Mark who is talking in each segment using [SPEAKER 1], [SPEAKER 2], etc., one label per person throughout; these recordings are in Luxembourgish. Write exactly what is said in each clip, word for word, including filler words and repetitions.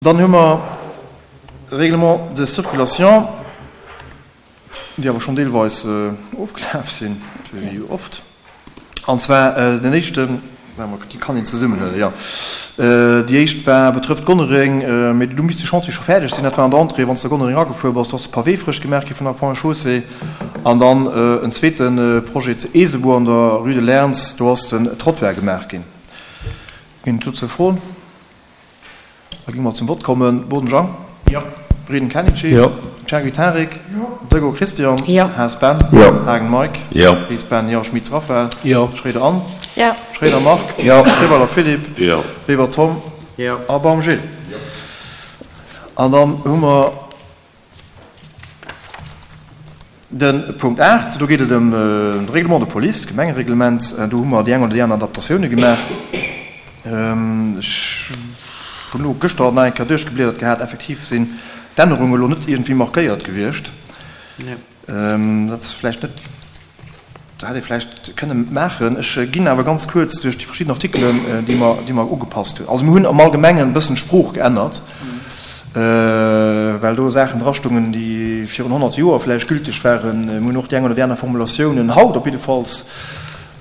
[SPEAKER 1] Dann hu mer Règlement de circulation, déi awer schonn deelweis ofgelaf sinn, wéi jo oft. An zwar den éischten, déi kann een zesummenhuelen, jo. Déi éischt war, betrëfft Gonnereng, mee do misst de Chantier scho fäerdeg sinn. Dat war an der Entrée, wann s de Gonnereng agefuer bass, do ass de Pavé frësch gemaach gi vun der Ponts et Chaussées. An dann en zweete Projet zu Eesebuer an der Rue de Lerns, do ass den Trottoir gemaach ginn. Ginn et dozou Froen? Da gi mer zum Vott kommen. Boden Jean.
[SPEAKER 2] Jo.
[SPEAKER 1] Breden Kenichi.
[SPEAKER 3] Jo.
[SPEAKER 1] Cherky Tarik.
[SPEAKER 2] Jo.
[SPEAKER 1] Dego Christian.
[SPEAKER 4] Jo.
[SPEAKER 1] Haas Ben.
[SPEAKER 3] Jo.
[SPEAKER 1] Haagen Mike.
[SPEAKER 3] Jo.
[SPEAKER 1] Ries Ben. Jo. Schmitz Raphaël.
[SPEAKER 2] Jo.
[SPEAKER 1] Schroeder Anne.
[SPEAKER 4] Jo.
[SPEAKER 1] Schroeder Marc.
[SPEAKER 3] Jo.
[SPEAKER 1] Riweiler Philippe.
[SPEAKER 3] Jo.
[SPEAKER 1] Weber Tom.
[SPEAKER 2] Jo.
[SPEAKER 1] A Baum Gilles.
[SPEAKER 3] Jo.
[SPEAKER 1] An dann hu mer De Punkt aacht, do geet et ëm de Règlement de police, d'Gemengereglement. Do hu mer déi eng oder déi aner Adaptatioune gemaach. Ech hunn elo gëschter nach eng Kéier duerchgebliedert gehat, effektiv sinn d'Ännerunge elo net iergendwéi markéiert gewiescht. Dat ass vläicht net. Dat hätt ee vläicht kënne maachen. Ech ginn awer ganz kuerz duerch déi verschidden Artikelen, déi mer, déi mer ugepasst hunn. Also mir hunn am Allgemengen e bëssen d'Sprooch geännert, well do Saachen drastungen, déi virun honnert Joer vläicht gülteg waren. Mir hunn och déi eng oder déi aner Formulatiounen haut op jiddefalls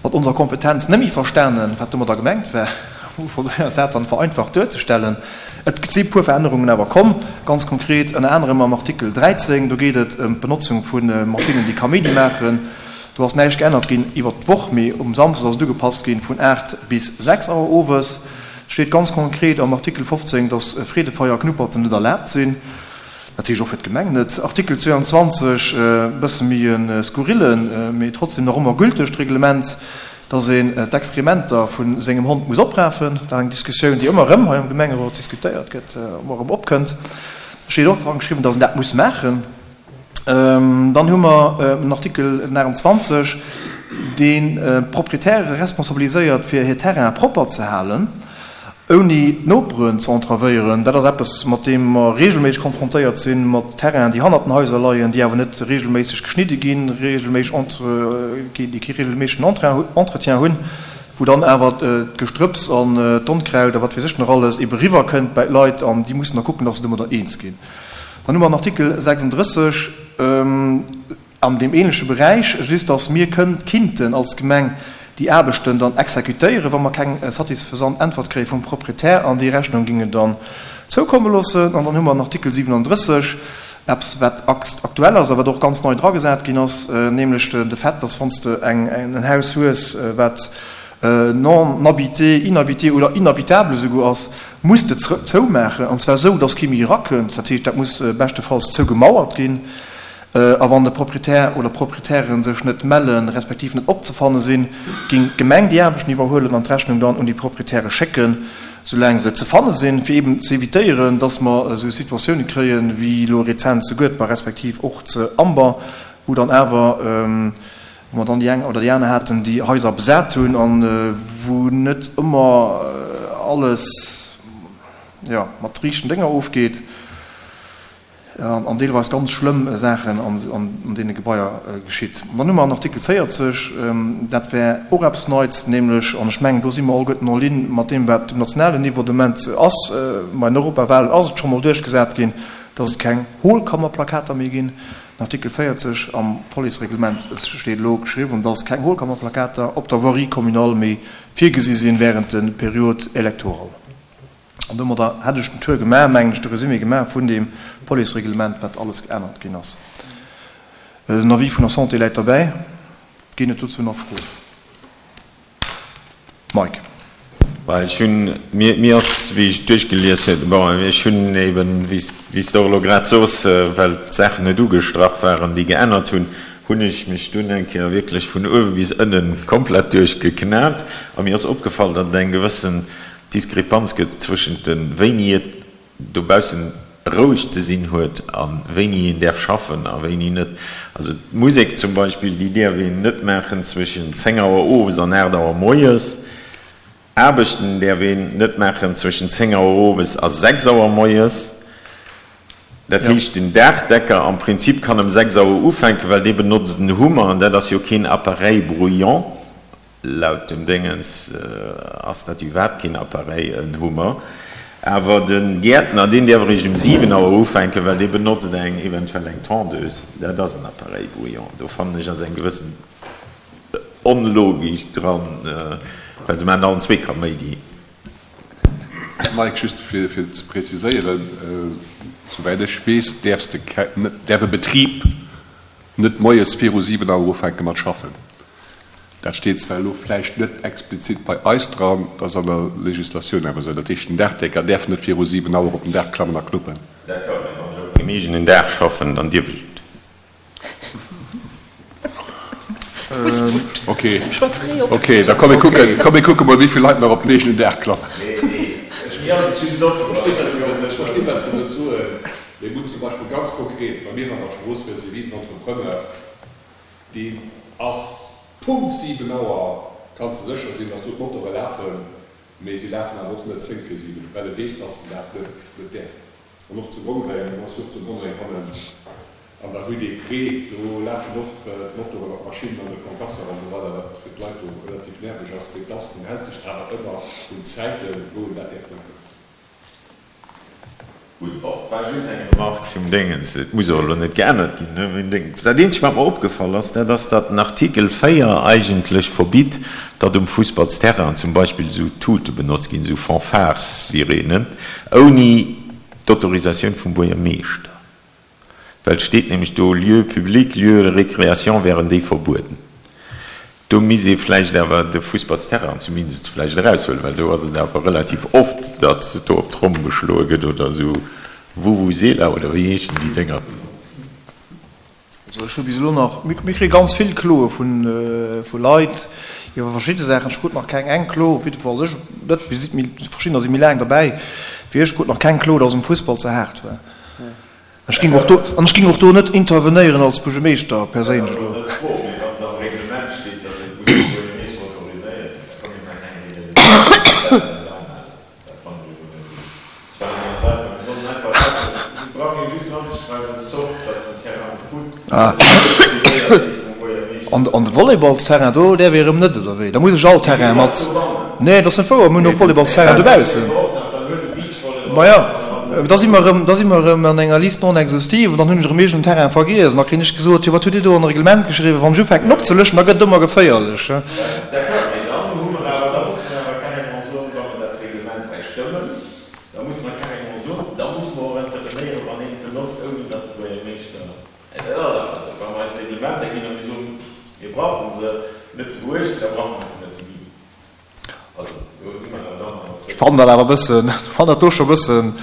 [SPEAKER 1] mat onser Kompetenz net méi verstanen, wat domadder gemengt war. Hu probéiert, dat dann vereinfacht duerzestellen. Et si puer Verännerungen awer komm, ganz konkret ënner anerem am Artikel dräizéng. Do geet et ëm d'Benotzung vu Maschinnen, déi Kaméidi maachen. Do ass näischt geännert ginn iwwert d'Woch, mee um Samsdes ass et ugepasst ginn vun aacht bis sechs Auer owes. Et steet ganz konkret am Artikel fofzéng, dass Freedefeier a Knupperten net erlaabt sinn. Dat heescht och fir d'Gemeng net. Artikel zweiandzwanzeg, e bësse méi e skurrillen, mee trotzdem nach ëmmer gültegt Reglement, dass een d'Exkrementer vu sengem Hond muss oprafen. Dat ass eng Diskussioun, déi ëmmer erëm hei am Gemengerot diskutéiert gëtt, ëmmer erëm opkënnt. Do steet och dran geschriwwen, dass een dat muss maachen. Dann hu mer en Artikel aachtanzwanzeg, deen d'Proprietäre responsabiliséiert, fir hir Terraine propper ze halen, ouni d'Noperen ze entravéieren. Dat ass eppes, mat deem mer regelméisseg konfrontéiert sinn, mat Terrainen, déi hannert den Haiser leien, déi awer net regelméisseg geschnidde ginn, regelméisseg, déi kee regelméissegen Entretien hunn, wou dann awer d'Gestrëpps an d'Onkraut a wat weess ech nach alles ebe riwwerkënnt bäi d'Leit an déi mussen da kucken, dass se domadder eens ginn. Dann hu mer den Artikel sechsunddrësseg an deem ähnleche Beräich, just dass mir kënnt, kinnten als Gemeng déi Aarbechten dann exekutéieren, wa mer keng satisfaisant Äntwert kréie vum Proprietär an déi Rechnung géinge dann zoukomme loossen. An dann hu mer den Artikel siwenanddrësseg, eppes wat aktuell ass a wat och ganz nei dragesat ginn ass, nämlech de Fait, dass wann s de eng en Haus hues, wat non habité, inhabité oder inhabitable esouguer ass, muss de zoumaachen, an zwar esou, dass kee méi erakënnt. Dat heescht, dat muss beschtefalls zougemauert ginn. A wann de Proprietär oder d'Proprietären sech net mellen, respektiv net opzefanne sinn, géing d'Gemeng déi Aarbechten iwwerhuelen an d'Rechnung dann un déi Proprietäre schécken, soulaang se ze fanne sinn, fir eeben ze evitéieren, dass mer esou Situatioune kréien, wéi elo rezent zu Guedber respektiv och zu Amber, wou dann awer, wou mer dann déi eng oder déi aner haten, déi Haiser besat hunn a wou net ëmmer alles, jo, mat riichten Dénger ofgeet an deelweis ganz schlëmm Saachen an deene Gebaier geschitt. Dann hu mer an Artikel véierzeg, dat wär och eppes Neits, nämlech, an ech mengen, do si mer alleguerten en ligne mat deem, wat um nationalen Niveau de Moment ass, bei den Europawahlen ass et scho mol duerchgesat ginn, dass et keng Hohlkammerplakater méi ginn. Den Artikel véierzeg am Policereglement steet elo geschriwwen, dass keng Hohlkammerplakater op der Voirie communale méi virgesi sinn während de Période électorale. An domadder hätt ech den Tour gemaach, mengen ech, de Résumé gemaach vun deem Policereglement, wat alles geännert ginn ass. Den Avis vun der Santé läit derbäi. Ginn et dozou nach Froen? Mike.
[SPEAKER 3] Well ech hunn, mir, mir ass, wéi ech duerchgelies hunn, bon, ech hunn eben, wéi s, wéi s de och elo grad soos, well d'Saachen net ugestrach waren, déi geännert hunn, hunn ech mech dunn eng Kéier wierklech vun uewe bis ënnen komplett duerchgeknat a mir ass opgefall, datt et eng gewëssen Diskrepanz gëtt zwëschent de wéini et dobaussen roueg ze sinn huet a wéini een däerf schaffen a wéini net. Also d'Musek zum Beispill, déi däerf een net maachen zwëschen zéng Auer owes an aacht Auer moies. Aarbechten däerf een net maachen zwëschen zéng Auer owes a sechs Auer moies. Dat heescht, den Daachdecker am Prinzip kann ëm sechs Auer ufänken, well dee benotzt en Hummer an dat ass jo keen Appareil bruyant. Laut dem Déngens ass dat iwwerhaapt keen Appareil, en Hummer. Awer de Gäertner, deen däerf eréischt um siwen Auer ufänken, well dee benotzt eng eventuell eng Tondeuse. Dat ass en Appareil bruyant. Do fannen ech ass eng gewëssen Onlogik dran, well se maachen allen zwee Kaméidi.
[SPEAKER 2] Mike, just fir ze preziséieren, Souwäit ech weess, däerfs de däerf e Betrib net moies viru siwen Auer ufänke mat schaffen. Dat steet zwar elo vläicht net explizit bei eis dran, dat ass an der Legislatioun awer esou. Dat heescht, den Daachdecker däerf net viru siwen Auer op den Daach klammen a knuppen.
[SPEAKER 3] D'accord, mä wann ech op mengem eegenen Daach schaffen, dann dierf ech et.
[SPEAKER 2] Ok, ok, da komm mir kucken, komm mir kucke mol, wéi vill Leit nach op den eegenen Daach klammen.
[SPEAKER 3] Nee, nee, mir ass et just opgefall.
[SPEAKER 2] Ech verstinn, wat se wëllt soen. Mee gutt, zum Beispill ganz konkret bei mir an der Strooss vis-à-vis den Entrepreneur, deen ass Punkt siwen Auer, kanns de sécher sinn, dass do d'Motore lafen, mee si lafen awer och net zéng vir siwen, well e weess, dass en dat net net däerf. An och zu Gonnereng, en ass jo och zu Gonnereng hannen an der Rue des Prés, do lafen och d'Motoren an d'Maschinnen an de Concasseur an esou weider, wat fir d'Leit do relativ nerveg ass, mee dass en hält sech awer ëmmer un d'Zäiten, wou en dat däerf maachen.
[SPEAKER 3] Gutt, bon, et war just eng Remarque vum Déngens, et muss och elo net geännert ginn, ne, vum Déngens. Dat eenzegt, wat mer opgefall ass, dat ass, datt den Artikel véier eigentlech verbitt, datt um Fussballsterrain zum Beispill esou Tute benotzt ginn, esou Fanfare-Sirenen, ouni d'Autorisatioun vum Buergermeeschter. Well et steet nämlech do, Lieux publics, lieux de récréation wären déi verbueden. Do misst ee vläicht awer de Fussballsterrain zumindest vläicht eraushuelen, well do ass et awer relativ oft, datt do op d'Tromm geschloe gëtt oder esou Vuvuzela oder wéi heeschen déi Dénger.
[SPEAKER 1] Also ech hu bis elo nach, mir kréie ganz vill Kloe vu Leit iwwer verschidde Saachen, ech krut nach keng eng Klo, op jiddefalls ech net, mir si verschiddener si méi laang derbäi wéi ech, krut nach keng Klo, datt um Fussball ze haart war. Ech ging och do, an ech ging och do net intervenéieren als Buergermeeschter perséinlech elo. An de Volleyballsterrain do däerf ee erëm net, oder wéi? Da muss ech all Terrain mat. Nee, dat ass net wouer, mir hunn och Volleyballsterrain dobaussen. Maja. Da si mer erëm, da si mer erëm an enger Liste non exhaustive an dann hunn ech erëm iergend en Terrain vergiess an da kréien ech gesot, jo wat hutt Dir do an e Reglement geschriwwen, wann ech ufänken opzelëschen, da gëtt et ëmmer geféierlech.
[SPEAKER 3] D'accord, mee dann hu mer awer, da musse mer awer carrément soen, wa mer dat Reglement hei stëmmen, da musse mer carrément soen, da musse mer och intervenéieren, wann een et benotzt, ouni datt de Buergermeeschter, dat ass awer esou, wa mer eis Reglementer ginn a mir soen, mir brauche se net ze beuechten, da brauche mer se net ze ginn.
[SPEAKER 1] Ech fannen dat awer e bëssen, fannen dat do scho e bëssen,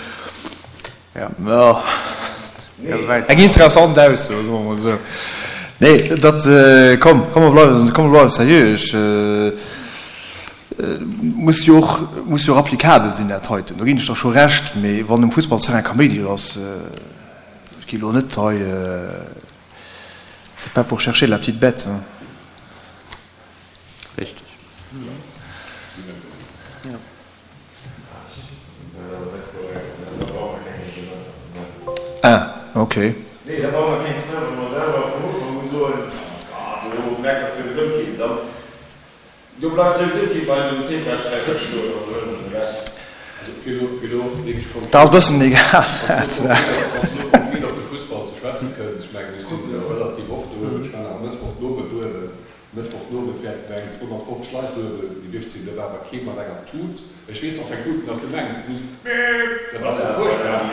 [SPEAKER 1] jo, eng interessant Ausso, soe mer emol esou. Nee, dat, komm, komm mer bleiwen, komm mer bleiwe seriö. Ech, muss jo och, muss jo och applicabel sinn, dat heiten, do ginn ech der scho Recht. Mee wann um Fussballterrain Kaméidi ass, ech gi elo net hei, c'est pas pour chercher la petite bête, hein.
[SPEAKER 4] Richteg.
[SPEAKER 1] Ah, ok.
[SPEAKER 3] Nee, da brauche mer keng ze maachen, wa mer selwer vun Ufank u soen, ah, do meckert souwisou keen, dann, do bleift souwisou kee bei dem Zebrasträifen stoen, also huele mer den ewech.
[SPEAKER 2] Also fir elo, fir elo wierklech konkret.
[SPEAKER 1] Dat ass e bëssen egal,
[SPEAKER 2] wat. Wann s de elo konkret op de Fussball ze schwätzen kënns, ech mengen, ech sinn relativ oft doheem, ech war nach e Mëttwoch den Owend doheem, Mëttwochnomëtt wäerten eng zweehonnertfofzeg Leit duebel gewiescht sinn. Do war awer kee mat enger Tut. Ech weess och keng Tuten, dass du mengs, du muss Beep! Dat ass jo fuerchtbar.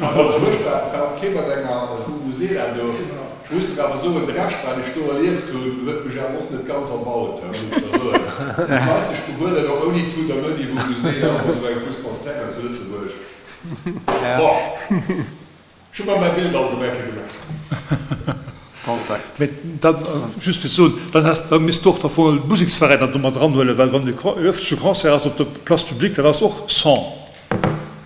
[SPEAKER 2] Dat ass fuerchtbar. Et war och kee mat enger Vuvuzela do. Ech muss der awer soen, de Rescht, wat ech do erlieft hunn, huet mech awer och net ganz erbaut, muss ech der soen. Wéi d'Leit sech behuelen, och ouni Tut an ouni Vuvuzela op esou engem Fussballsterrain zu Lëtzebuerg. Boah! Ech hu mer mäi Bild allgemeng ke gemaach.
[SPEAKER 5] Mee dann, just fir ze soen, dann häss, da misst de och da voll d'Museksveräiner do mat eranhuelen, well wann e öffentleche Concert ass op der Place publique, dat ass och Son.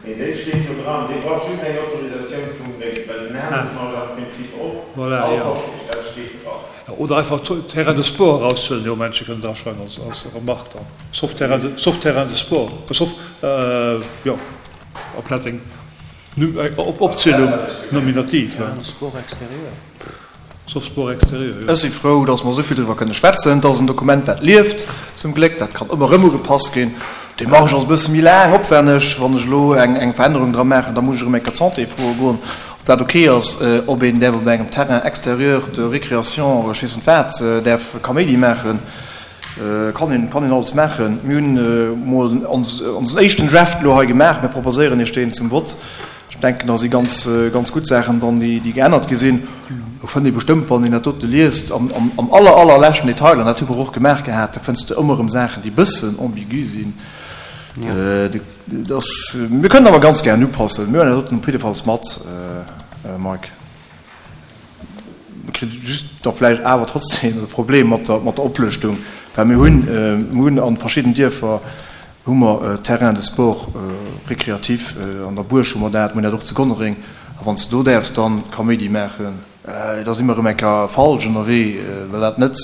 [SPEAKER 3] Mee dee steet jo dran, dee brauch just eng Autorisatioun vum Déngs, well den Händelsmarsch am Prinzip och
[SPEAKER 5] Voilà,
[SPEAKER 3] all
[SPEAKER 5] jo.
[SPEAKER 3] Koscht heescht, dat steet dran.
[SPEAKER 5] Oder einfach Terrain de sport eraushuelen, dee Momentche kënnen draschreiwen als, als Remarque dann, sauf Terrain de, sauf Terrain de sport, sauf, jo, amplaz eng. Opzielung nominativ.
[SPEAKER 4] Sport extérieur.
[SPEAKER 5] Sauf sport extérieur, jo.
[SPEAKER 1] Ech si frou, dass mer esou vill driwwer kënne schwätzen. Et ass en Dokument, dat lieft, zum Gléck. Dat kann ëmmer erëm ugepasst ginn. D'Demarche ass e bësse méi laang, opwenneg. Wann ech elo eng eng Verännerung dra maachen, da muss ech erëm eng Kéier d'Santé froe goen, ob dat ok ass, ob een däerf op engem Terrain extérieur de récréation oder ech weess net wat däerf Kaméidi maachen. Kann een, kann een alles maachen. Mir hunn emol ons onsen éischten Draft elo hei gemaach. Mir proposéieren Iech deen zum Vott. Ech denken, da si ganz, ganz gutt Saachen dran, déi, déi geännert gi sinn. Do fënnt ee bestëmmt, wann een dat dote liest, am, am, am aller, allerleschten Detail, an dat hu mer och gemaach gehat, do fënns de ëmmer erëm Saachen, déi bëssen ambigu sinn. Dat ass, mir kënnen awer ganz gären upassen. Mir huelen dat doten op jiddefalls mat, Mike. Mir kritt just da vläicht awer trotzdem e Problem mat der, mat der Oplëschtung, well mir hunn, mir hunn a verschidden Dierfer hu mer Terrains de sport récréatifs, an der Buerg hu mer dat, mir hunn dat och zu Gonnereng, a wann s de do däerfs dann Kaméidi maachen, da si mer erëm eng Kéier falsch ënnerwee, well dat net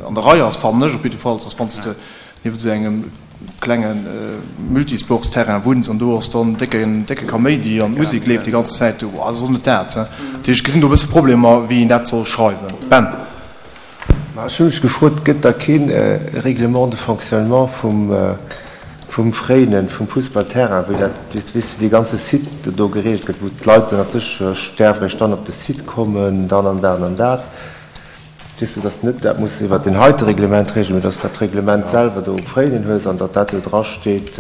[SPEAKER 1] an der Rei ass, fannen ech op jiddefalls, dass wann s de nieft esou engem klenge Multisportsterrain wunns an do ass dann décken, décke Kaméidi an d'Musek leeft déi ganz Zäit do, ass och net dat. Dat heescht, ech gesinn do e bësse Problemer, wéi een dat soll schreiwen. Ben.
[SPEAKER 4] Ma ech hu mech gefrot, Gëtt da kee Règlement de fonctionnement vum, vum Fréinen, vum Fussballterrain, wéi dat, weess de, dee ganze Site do gereegelt gëtt, wou d'Leit dann natierlech däerf eréischt dann op de Site kommen, dann an dat an dat? Weess de, dass de net dat muss iwwert deen heite Reglement reegelen, mee dass de dat Reglement selwer do um Fréinen hues an datt dat do drasteet.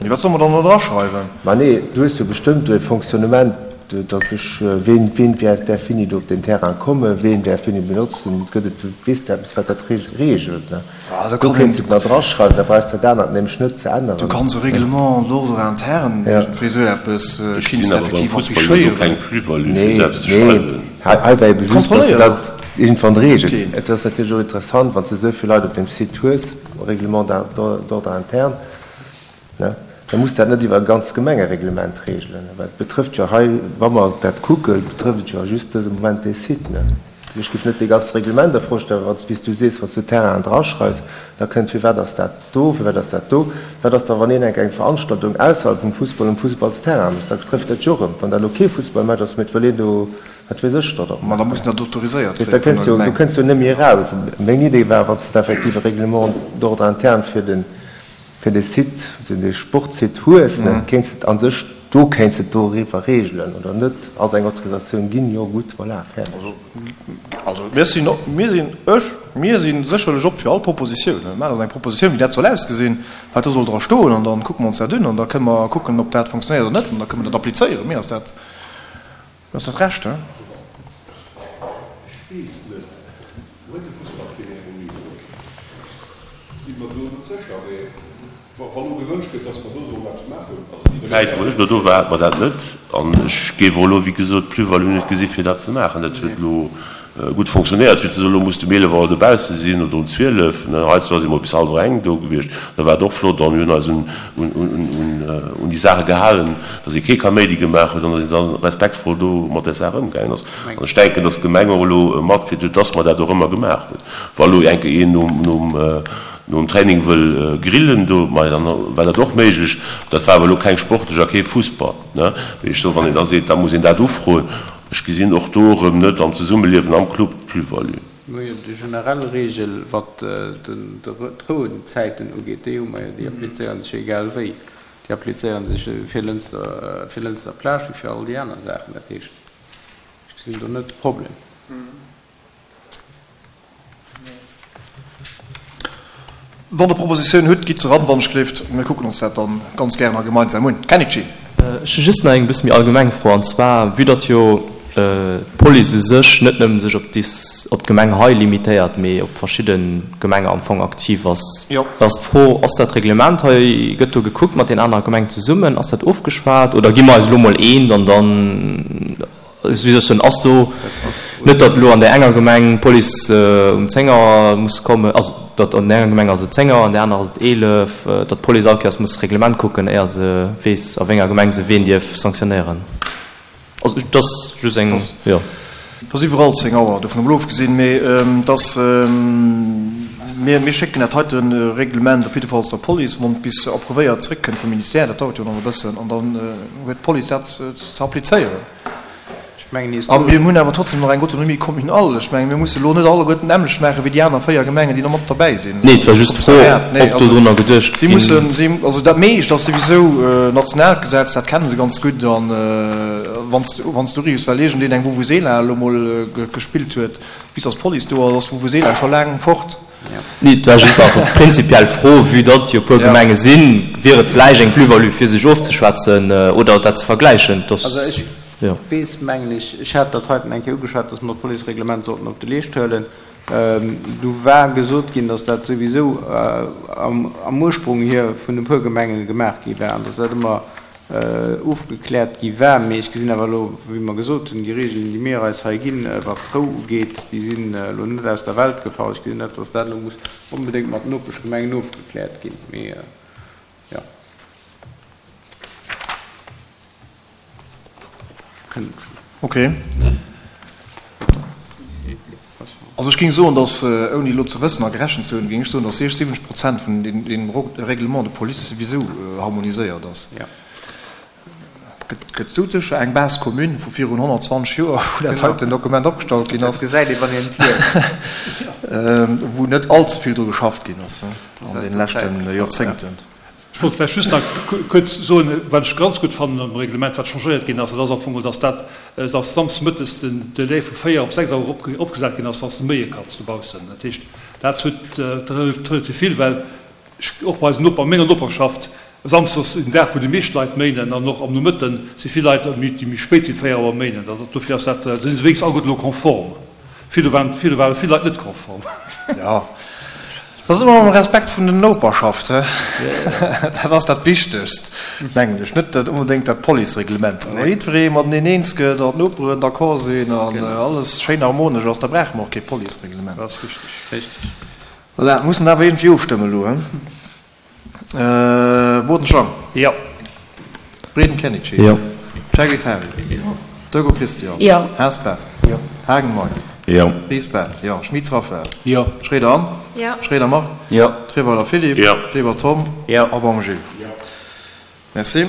[SPEAKER 1] Mee wat solle mer dann do draschreiwen?
[SPEAKER 4] Ma nee, du hues jo bestëmmt do e Fonctionnement, datt ech, ween, ween däerf wéini do op deen Terrain kommen, ween däerf wéini benotzen, gëtt et, weess de eppes, wat dat reegelt, ne? Do kéints de et nach draschreiwen, da brauchs de dat anert nämlech net ze änneren.
[SPEAKER 1] Du kanns e Règlement d'ordre interne, iergendwéi esou eppes,
[SPEAKER 6] Ech
[SPEAKER 1] kinns
[SPEAKER 6] gesinn
[SPEAKER 1] de
[SPEAKER 6] awer beim
[SPEAKER 1] effektiv
[SPEAKER 6] Fussball jo do
[SPEAKER 1] affichéieren.
[SPEAKER 6] keng Plus-value, fir
[SPEAKER 4] Nee,
[SPEAKER 6] selbst ze
[SPEAKER 4] nee,
[SPEAKER 6] schreiwen.
[SPEAKER 4] hei, hei war ebe just, datt de
[SPEAKER 1] Kontrolléieren.
[SPEAKER 4] dat iergendwann reegels.
[SPEAKER 1] Keen.
[SPEAKER 4] Et ass natierlech och interessant, wann s de esou vill Leit op deem Site hues, Règlement d'ordre interne, ne, da muss dat net iwwer e ganzt Gemengereglement reegelen, well et betrëfft jo hei, wa mer dat kucken, betrëfft et jo just dëse Moment dee Site, ne. Ech géif net dee ganze Reglement a Fro stellen, wann s, wéi s du sees, wann s du Terrainen draschreifs, da kënnt, firwat ass dat do, firwat ass dat do, wat ass da wann een eng eng Veranstaltung ausserhalb vum Fussball um Fussballsterrain mécht, da betrëfft dat jo och erëm, wann dat elo kee Fussballmatch ass, mee et wëll een do, wat weess ech, da
[SPEAKER 1] Ma da muss dat autoriséiert
[SPEAKER 4] weess, da
[SPEAKER 1] kréie vun
[SPEAKER 4] kënns
[SPEAKER 1] der
[SPEAKER 4] jo, du
[SPEAKER 1] Gemeng.
[SPEAKER 4] kënns jo net méi eraus. Meng Idee war, wann s de effektiv e Règlement d'ordre interne fir den, fir de Site, dee Sportsite hues, ne, kéints de et a sech, do kéints de et doriwwer regelen, oder net? Ass eng Autorisatioun ginn, jo, gutt, voilà, fäerdeg.
[SPEAKER 1] Also mir sinn, mir sinn, ech, mir si sécherlech op fir all Propositioun. Mir maachen eis eng Propositioun, wéi dat soll ausgesinn, wat do soll dra stoen, an da kucke mer ons dat un an da kënne mer kucken, ob dat funktionéiert oder net, an da kënne mer dat applizéieren. Mir ass dat, mir ass dat recht, he?
[SPEAKER 2] Ech weess net, huet de Fussballterrain um Niveau? Ech si mer do net sécher, mee wa lo gewënscht gëtt, dass mer do sollen eppes maachen.
[SPEAKER 6] Also déi Zäit, wou ech elo do war, hat mer dat net. An ech géif och elo, wéi gesot, d'Plus-value net gesi fir dat ze maachen. Dat huet elo gutt fonctionnéiert. Fir ze soen, elo muss de um eelef Auer dobausse sinn oder um zwielef, ne, heiansdo si mer bis hallwer eng do gewiescht, da war et och flott. An mir hunn eis un déi Saache gehalen, dass ee kee Kaméidi gemaach huet an dass een da respektvoll do mat där Saach ëmgaangen ass. An ech denken, dass d'Gemeng och elo matkritt huet, dass mer dat och ëmmer gemaach hunn. Wa elo eng Kéier een nom Training wëll grillen do, ma dann war dat och méiglech. Dat war awer elo keng sportlech a kee Fussball, ne. Mee ech soen, wann een da seet, da muss een dat ufroen, ech gesinn och do erëm net am Zesummeliewen am Club d'Plus-value.
[SPEAKER 7] Mir hu jo déi generell Regel, wat d'Rouenzäiten ugeet, déi hu mer jo, déi applizéiere sech jo egal wéi. Déi applizéiere sech fir Lënster, fir Lënster Plage wéi fir all déi aner Saachen. Dat heescht, ech gesinn do net de Problem.
[SPEAKER 1] Wann Der Propositiounen hutt, gitt se eran, wann ech gleeft. Mir kucken ons dat dann ganz gären a gemeinsam un. Kennedy.
[SPEAKER 8] Ech hu just nach eng bësse méi allgemeng Fro, an zwar, vue datt jo d'Police u sech net nëmmen sech op op d'Gemeng hei limitéiert, mee op verschidde Gemenge am Fong aktiv ass, da ass d'Fro, Ass dat Reglement hei, gëtt do gekuckt mat den anere Gemengen zesummen, ass dat ofgeschwat oder gi mer eis elo mol eent an dann, wéi soll ech soen, ass do net, datt elo an där enger Gemeng d'Police um zéng Auer muss kommen, also datt an där enger Gemeng ass et zéng Auer, an där anerer ass et eelef, datt d'Police all Kéiers muss d'Reglement kucken, éier se weess, a wéi enger Gemeng se ween dierf sanktionéieren. Also et ass just eng, jo.
[SPEAKER 1] Et ass iwwerall zéng Auer, dovun emol ofgesinn, mee et ass, mir, mir schécken dat heite Reglement op jiddefalls der Police, wann et bis approuvéiert zréckkënnt vum Ministère, dat dauert jo nach e bëssen, an dann huet d'Police dat ze applizéieren.
[SPEAKER 7] Ech Ech mengen,
[SPEAKER 1] A mir hunn awer trotzdem nach eng Autonomie communale. Ech mengen, mir musse elo net alleguerten d'nämmlecht maachen wéi déi aner véier Gemengen, déi nach mat derbäi sinn.
[SPEAKER 8] Nee, et war just d'Fro, ob dodrunner geduecht
[SPEAKER 1] Si
[SPEAKER 8] ginn.
[SPEAKER 1] mussen, si, also dat meescht ass souwisou nationaalt Gesetz, dat kenne se ganz gutt. An wann s, wann s du uriffs, well iergendeen eng Vuvuzela elo mol gespillt huet, bis datt d'Police do ass, ass d'Vuvuzela scho laang fort.
[SPEAKER 8] Nee, et war just einfach d'prinzipiell Fro, vue datt jo e puer Gemenge sinn, wier et vläicht eng Plus-value fir sech ofzeschwätzen oder dat ze vergläichen, dass,
[SPEAKER 7] Also ech
[SPEAKER 8] jo.
[SPEAKER 7] weess, mengen ech, ech hat dat heiten eng Kéier ugeschwat, dass mer d'Policereglement sollten op de Leescht huelen. Du war gesot ginn, dass dat souwisou am Ursprung hier vun e puer Gemenge gemaach gi war an dass dat ëmmer ofgekläert gi war. Mee ech gesinn awer elo, wéi mer gesot hunn, déi Regeln, déi mir eis hei ginn, wat d'Rou ugeet, déi sinn elo net aus der Welt gefall. Ech gesinn net, dass dat elo muss onbedéngt mat Nopeschgemengen ofgekläert ginn. Mee jo, kënnt ech.
[SPEAKER 1] Okay. Also ech géing soen, dass, ouni elo ze wëssen a gerechent ze hunn, géing ech soen, dass sechs, siwwenzeg Prozent vun deem Règlement de police souwisou harmoniséiert ass. Et gëtt sousécher eng Base commune vu virun honnertzwanzeg Joer, wou dat heiten Dokument opgestallt ginn ass,
[SPEAKER 7] Dat gesäit ee wann een et liest.
[SPEAKER 1] wou net allze vill dru geschafft ginn ass an deene leschte Joerzéngten.
[SPEAKER 5] Ech wollt vläicht just nach kuerz soen, wat ech ganz gutt fannen am Reglement, wat changéiert ginn ass, dat ass am Fong, dass dat, dass samsdes mëttes den Delai vu véier op sechs Auer eropgesat ginn ass, wann s de méie kanns dobaussen. Dat heescht, dat huet relativ vill, well ech och bei eisen Noper, menger Noperschaft, samsdes ass en Dag, wou déi meescht Leit méinen an och am Nomëtte si vill Leit, déi méi spéit wéi véier Auer méinen. Dofir ass dat, da si se wéinstens alleguerten elo konform. Virdu waren, virdu ware vill Leit net konform.
[SPEAKER 1] Jo. Dat ass ëmmer mam Respekt vun den Noperschaft, he? Dat ass dat Wichtegst, mengen ech. Net dat onbedéngt dat Policereglement. Wa jiddweree mateneen eens gëtt an d'Noperen d'accord sinn an alles schéin harmonesch ass, da brauche mer och kee Policereglement.
[SPEAKER 5] Dat ass richteg.
[SPEAKER 7] Richteg.
[SPEAKER 1] Voilà, mussen awer iergendwéi ofstëmmen elo, he? Boden Jean.
[SPEAKER 5] Jo.
[SPEAKER 1] Breden Kenichi.
[SPEAKER 8] Jo.
[SPEAKER 1] Cegritari. Jo. Dögo Christian.
[SPEAKER 9] Jo.
[SPEAKER 1] Haas Bert. Jo. Haagen Mike.
[SPEAKER 3] Jo.
[SPEAKER 1] Ries Bert. Jo. Schmitz Raphaël.
[SPEAKER 7] Jo.
[SPEAKER 1] Schroeder Anne.
[SPEAKER 9] Jo.
[SPEAKER 1] Schroeder Marc.
[SPEAKER 7] Jo.
[SPEAKER 1] Treweiler Philippe.
[SPEAKER 6] Jo.
[SPEAKER 1] Weber Tom.
[SPEAKER 7] Jo.
[SPEAKER 1] A Baum Gilles.
[SPEAKER 2] Jo.
[SPEAKER 1] Merci.